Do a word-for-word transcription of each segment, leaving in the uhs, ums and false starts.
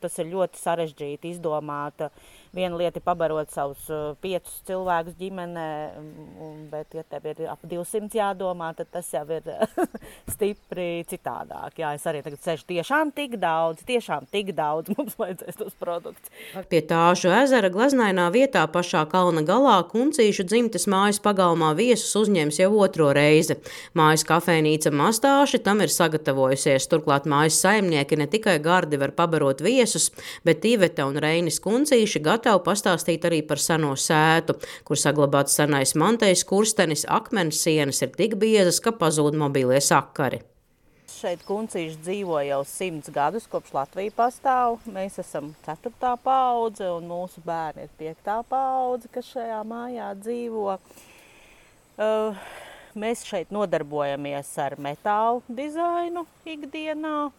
tas ir ļoti sarežģīti izdomāt. Viena lieta ir pabarot savus piecus cilvēkus ģimenē, bet, ja tev ir ap divsimt jādomā, tad tas jau ir stipri citādāk. Jā, es arī tagad sešu tiešām tik daudz, tiešām tik daudz mums vajadzēs tos produktus. Pie Tāšu ezera gleznainā vietā pašā kalna galā Kuncīšu dzimtes mājas pagalmā viesus uzņems jau otro reizi. Mājas kafejnīca Mastāši tam ir sagatavojusies. Turklāt mājas saimnieki ne tikai gardi var pabarot viesus, bet Iveta un Reinis Kuncīši gatavi pastāstīt arī par seno sētu, kur saglabāts senais mantejas kurstenis, akmens sienas ir tik biezas, ka pazūd mobilie sakari. Šeit Kuncīši dzīvo jau simts gadus, kopš Latvija pastāv. Mēs esam ceturtā paudze un mūsu bērni ir piektā paudze, kas šajā mājā dzīvo. Uh, mēs šeit nodarbojamies ar metālu dizainu ikdienā.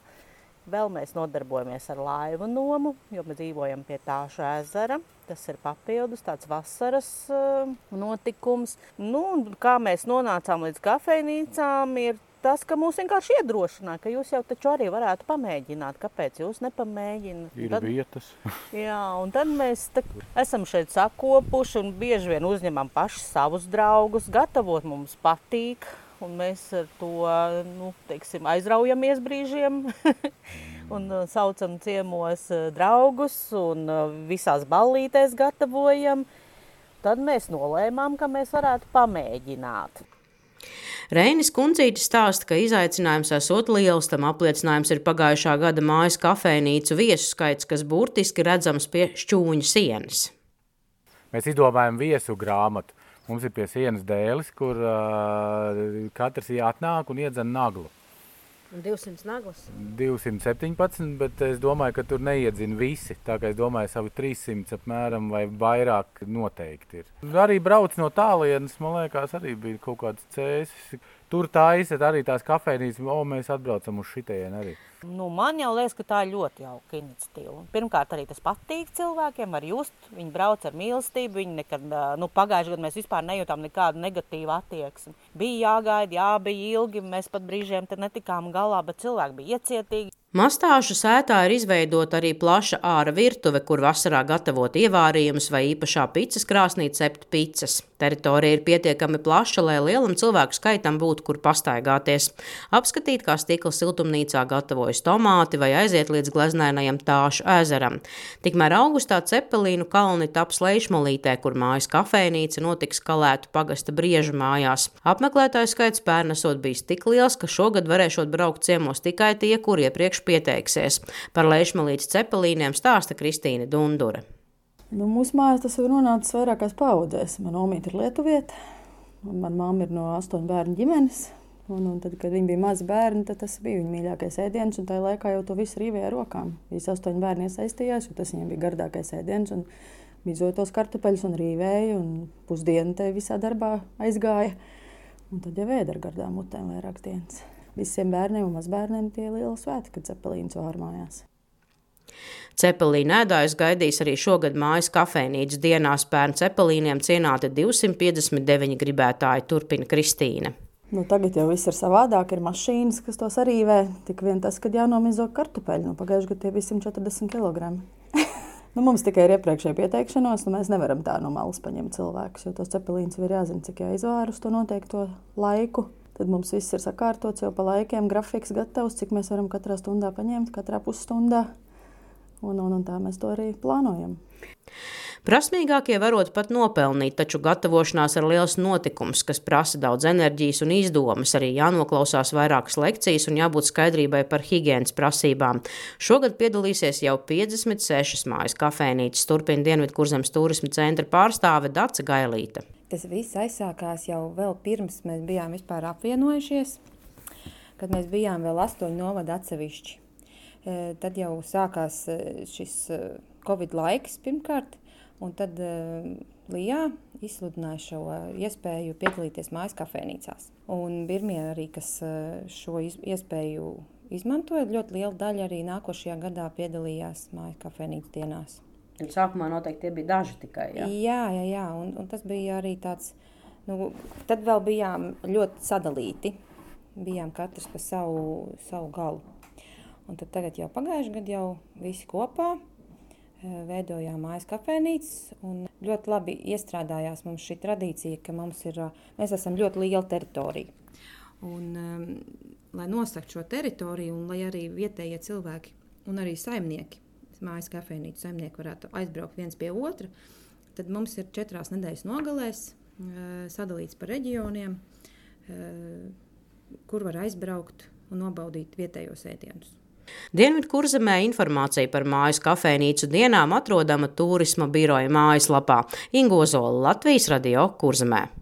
Vēl mēs nodarbojamies ar laivu nomu, jo mēs dzīvojam pie Tāšu ezera. Tas ir papildus, tāds vasaras uh, notikums. Nu, kā mēs nonācām līdz kafejnīcām, ir tas, ka mūs vienkārši iedrošināja, ka jūs jau taču arī varētu pamēģināt. Kāpēc jūs nepamēģināt? Ir tad, vietas. Jā, un tad mēs tā, esam šeit sakopuši un bieži vien uzņemam paši savus draugus. Gatavot mums patīk. Un mēs ar to, nu, teiksim, aizraujamies brīžiem un saucam ciemos draugus un visās ballītēs gatavojam. Tad mēs nolēmām, ka mēs varētu pamēģināt. Reinis Kuncītis stāsta, ka izaicinājums esot liels, tam apliecinājums ir pagājušā gada mājas kafejnīcu viesu skaits, kas burtiski redzams pie šķūņa sienas. Mēs izdomājam viesu grāmatu. Mums ir pie sienas dēlis, kur uh, katrs atnāk un iedzen naglu. Un divsimt naglas? divsimt septiņpadsmit, bet es domāju, ka tur neiedzina visi. Tā kā es domāju, savu trīssimts apmēram vai vairāk noteikti ir. Arī brauc no tālienes, man liekas, arī bija kaut kāds cēsis. Tur taisat arī tās kafejnīcas, o, mēs atbraucam uz šitien arī. Nu, man jau liekas, ka tā ir ļoti jauka iniciatīva. Pirmkārt, arī tas patīk cilvēkiem, var just, viņi brauc ar mīlestību, viņi nekad, nu, pagājušajā gadā mēs vispār nejūtām nekādu negatīvu attieksmi. Bija jāgaida, jā, bija ilgi, mēs pat brīžiem te netikām galā, bet cilvēki bija iecietīgi. Mastāšu sētā ir izveidota arī plaša āra virtuve, kur vasarā gatavot ievārījumus vai īpašā picas krāsnī cept picas. Teritorija ir pietiekami plaša, lai lielam cilvēku skaitam būtu, kur pastaigāties. Apskatīt, kā stikla siltumnīcā gatavojas tomāti vai aiziet līdz gleznainajam Tāšu ezeram. Tikmēr augustā Cepelīnu kalni taps Leišmalītē, kur mājas kafejnīca notiks Kalētu pagasta Briežu mājās. Apmeklētāju skaits pērn esot bijis tik liels, ka šogad varēšot braukt ciemos tikai tie, kur iepriekš pieteiksies. Par Leišmalītes Cepelīniem stāsta Kristīne Dundure. Nu, mūsu mājās tas ir nonācis vairākās paudzēs. Man omīte ir lietuviete, un man mamma ir no astoņu bērnu ģimenes. Un, un tad, kad viņi bija mazi bērni, tad tas bija viņa mīļākais ēdiens, un tajā laikā jau to visu rīvēja ar rokām. Visi astoņi bērni iesaistījās, jo tas viņiem bija gardākais ēdiens, un bizoja tos kartupeļus un rīvēja, un pusdienu te visā darbā aizgāja. Un tad jau ēda ar gardām mutēm vairākas dienas. Visiem bērniem un mazbērniem tie liela svēti, kad Cepelīns vār mājās. Cepelīna ēdājus gaidīs arī šogad mājas kafejnīcas dienās. Pērn Cepelīniem cienāti divsimt piecdesmit deviņi gribētāji, turpina Kristīne. Nu, tagad jau viss ir savādāk, ir mašīnas, kas tos arīvē. Tik vien tas, kad jānomizo kartupeļi. Nu, pagājuši gadu tie bija simt četrdesmit kilogrami. Nu, mums tikai ir iepriekšēja pieteikšanos, nu mēs nevaram tā no malas paņemt cilvēkus, jo tos cepelīnus ir jāzina, cik jāizvār uz to noteikto laiku. Tad mums viss ir sakārtots jau pa laikiem, grafiks gatavs, cik mēs varam katrā stundā paņemt, katrā pusstundā. Un, un, un tā mēs to arī plānojam. Prasmīgākie varot pat nopelnīt, taču gatavošanās ir liels notikums, kas prasa daudz enerģijas un izdomas. Arī jānoklausās vairākas lekcijas un jābūt skaidrībai par higienas prasībām. Šogad piedalīsies jau piecdesmit sešas mājas kafejnīcas, turpina Dienvidkurzemes turisma centra pārstāve Dace Gailīte. Tas viss aizsākās jau vēl pirms mēs bijām vispār apvienojušies, kad mēs bijām vēl astoņu novadu atsevišķi. Tad jau sākās šis Covid laiks pirmkārt, un tad Lijā izsludināja šo iespēju piedalīties mājas kafejnīcās. Un pirmie arī, kas šo iespēju izmantoja, ļoti liela daļa arī nākošajā gadā piedalījās mājas kafejnīcas dienās. Sākumā noteikti tie bija daži tikai, jā? Jā, jā, jā, un, un tas bija arī tāds, nu, tad vēl bijām ļoti sadalīti, bijām katrs pa savu, savu galu. Un tad tagad jau pagājuši gadu jau visi kopā veidojām mājas kafejnīcas, un ļoti labi iestrādājās mums šī tradīcija, ka mums ir, mēs esam ļoti liela teritorija. Un, um, lai nosakt šo teritoriju, un lai arī vietējie cilvēki un arī saimnieki, mājas kafejnīcu saimnieki varētu aizbraukt viens pie otra, tad mums ir četrās nedēļas nogalēs uh, sadalīts par reģioniem, uh, kur var aizbraukt un nobaudīt vietējos ēdienus. Dienvidkurzemē informācija par mājas kafejnīcu dienām atrodama Tūrisma biroja mājaslapā. Inga Ozola, Latvijas radio Kurzemē.